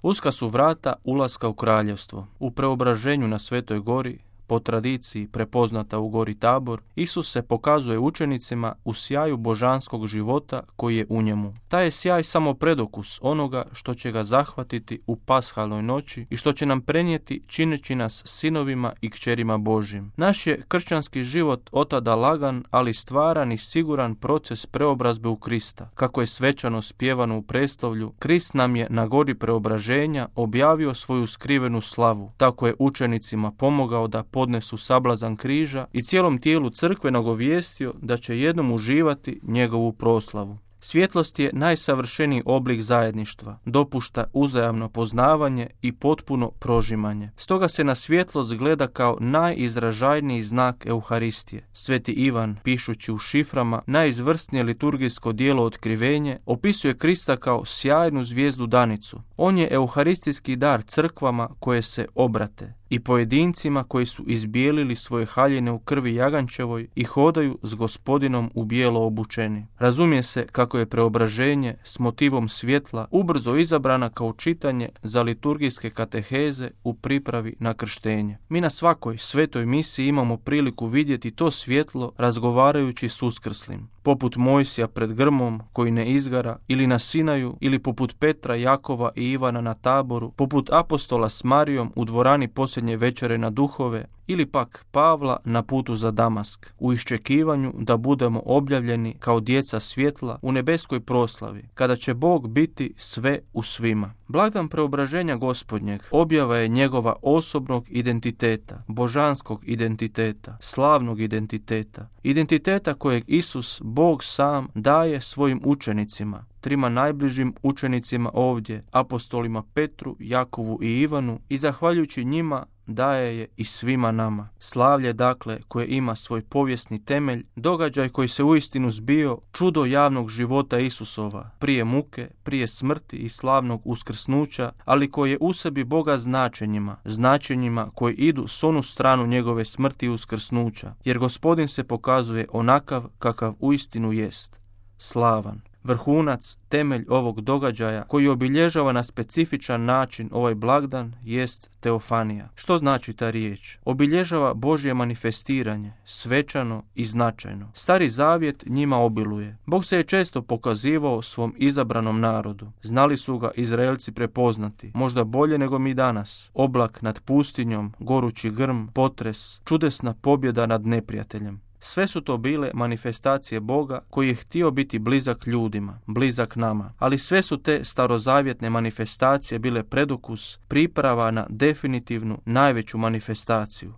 Uska su vrata ulaska u kraljevstvo. U preobraženju na Svetoj gori, po tradiciji prepoznata u gori Tabor, Isus se pokazuje učenicima u sjaju božanskog života koji je u njemu. Taj je sjaj samo predokus onoga što će ga zahvatiti u pashalnoj noći i što će nam prenijeti čineći nas sinovima i kćerima Božjim. Naš je kršćanski život otada lagan, ali stvaran i siguran proces preobrazbe u Krista. Kako je svečano spjevano u preslavlju, Krist nam je na gori preobraženja objavio svoju skrivenu slavu. Tako je učenicima pomogao da podnesu sablazan križa i cijelom tijelu crkve nagovijestio da će jednom uživati njegovu proslavu. Svjetlost je najsavršeniji oblik zajedništva, dopušta uzajamno poznavanje i potpuno prožimanje. Stoga se na svjetlost gleda kao najizražajniji znak Euharistije. Sveti Ivan, pišući u šiframa najizvrsnije liturgijsko djelo Otkrivenje, opisuje Krista kao sjajnu zvijezdu danicu. On je euharistijski dar crkvama koje se obrate i pojedincima koji su izbijelili svoje haljine u krvi jagančevoj i hodaju s Gospodinom u bijelo obučeni. Razumije se kako je preobraženje s motivom svjetla ubrzo izabrana kao čitanje za liturgijske kateheze u pripravi na krštenje. Mi na svakoj svetoj misiji imamo priliku vidjeti to svjetlo razgovarajući s uskrslim. Poput Mojsija pred grmom koji ne izgara, ili na Sinaju, ili poput Petra, Jakova i Ivana na Taboru, poput apostola s Marijom u dvorani posljednje večere na duhove, ili pak Pavla na putu za Damask, u iščekivanju da budemo objavljeni kao djeca svjetla u nebeskoj proslavi, kada će Bog biti sve u svima. Blagdan preobraženja Gospodnjeg objava je njegova osobnog identiteta, božanskog identiteta, slavnog identiteta, identiteta kojeg Isus, Bog sam, daje svojim učenicima, trima najbližim učenicima ovdje, apostolima Petru, Jakovu i Ivanu, i zahvaljujući njima daje je i svima nama. Slavlje, dakle, koje ima svoj povijesni temelj, događaj koji se uistinu zbio, čudo javnog života Isusova, prije muke, prije smrti i slavnog uskrsnuća, ali koji je u sebi Boga značenjima koji idu s onu stranu njegove smrti i uskrsnuća, jer Gospodin se pokazuje onakav kakav uistinu jest, slavan. Vrhunac, temelj ovog događaja koji obilježava na specifičan način ovaj blagdan jest teofanija. Što znači ta riječ? Obilježava Božje manifestiranje, svečano i značajno. Stari zavjet njima obiluje. Bog se je često pokazivao svom izabranom narodu. Znali su ga Izraelci prepoznati, možda bolje nego mi danas. Oblak nad pustinjom, gorući grm, potres, čudesna pobjeda nad neprijateljem. Sve su to bile manifestacije Boga koji je htio biti blizak ljudima, blizak nama. Ali sve su te starozavjetne manifestacije bile predokus, priprava na definitivnu najveću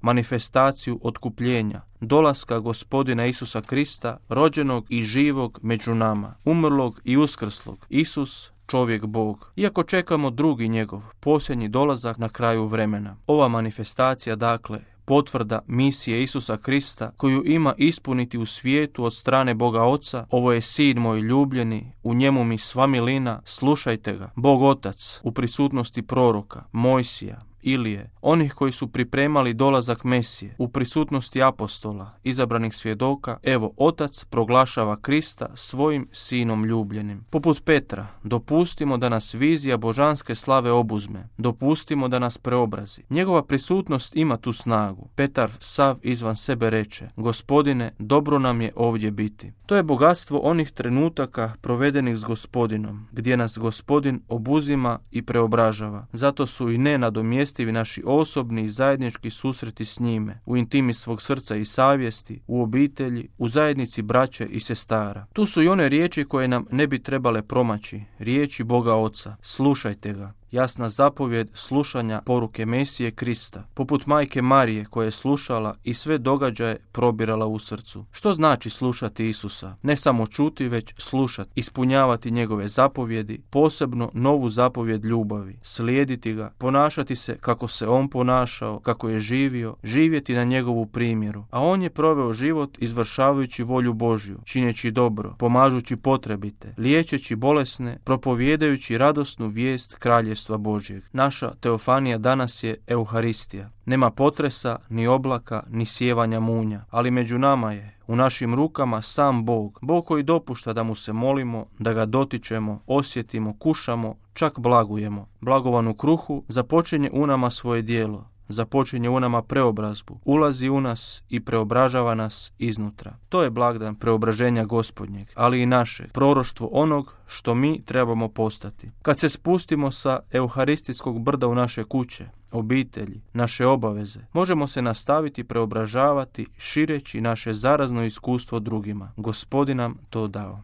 manifestaciju otkupljenja, dolaska Gospodina Isusa Krista, rođenog i živog među nama, umrlog i uskrslog. Isus, čovjek Bog. Iako čekamo drugi njegov, posljednji dolazak na kraju vremena. Ova manifestacija, dakle, potvrda misije Isusa Krista koju ima ispuniti u svijetu od strane Boga Oca. Ovo je sin moj ljubljeni, u njemu mi sva milina, slušajte ga. Bog Otac u prisutnosti proroka, Mojsija, Ilije, onih koji su pripremali dolazak Mesije, u prisutnosti apostola, izabranih svjedoka, evo Otac proglašava Krista svojim sinom ljubljenim. Poput Petra, dopustimo da nas vizija božanske slave obuzme, dopustimo da nas preobrazi. Njegova prisutnost ima tu snagu. Petar sav izvan sebe reče, Gospodine, dobro nam je ovdje biti. To je bogatstvo onih trenutaka provedenih s Gospodinom, gdje nas Gospodin obuzima i preobražava. Zato su i nenadomjestivi naši osobni i zajednički susreti s njime, u intimi svog srca i savjesti, u obitelji, u zajednici braće i sestara. Tu su i one riječi koje nam ne bi trebale promaći, riječi Boga Oca, slušajte ga. Jasna zapovjed slušanja poruke Mesije Krista, poput majke Marije koja je slušala i sve događaje probirala u srcu. Što znači slušati Isusa? Ne samo čuti, već slušati, ispunjavati njegove zapovjedi, posebno novu zapovjed ljubavi, slijediti ga, ponašati se kako se on ponašao, kako je živio, živjeti na njegovu primjeru. A on je proveo život izvršavajući volju Božju, čineći dobro, pomažući potrebite, liječeći bolesne, propovijedajući radosnu vijest kraljevstva Božjeg. Naša teofanija danas je Euharistija. Nema potresa, ni oblaka, ni sjevanja munja, ali među nama je, u našim rukama sam Bog. Bog koji dopušta da mu se molimo, da ga dotičemo, osjetimo, kušamo, čak blagujemo. Blagovan u kruhu započinje u nama svoje djelo, započinje u nama preobrazbu, ulazi u nas i preobražava nas iznutra. To je blagdan preobraženja Gospodnjeg, ali i naše, proroštvo onog što mi trebamo postati. Kad se spustimo sa euharistijskog brda u naše kuće, obitelji, naše obaveze, možemo se nastaviti preobražavati šireći naše zarazno iskustvo drugima. Gospodin nam to dao.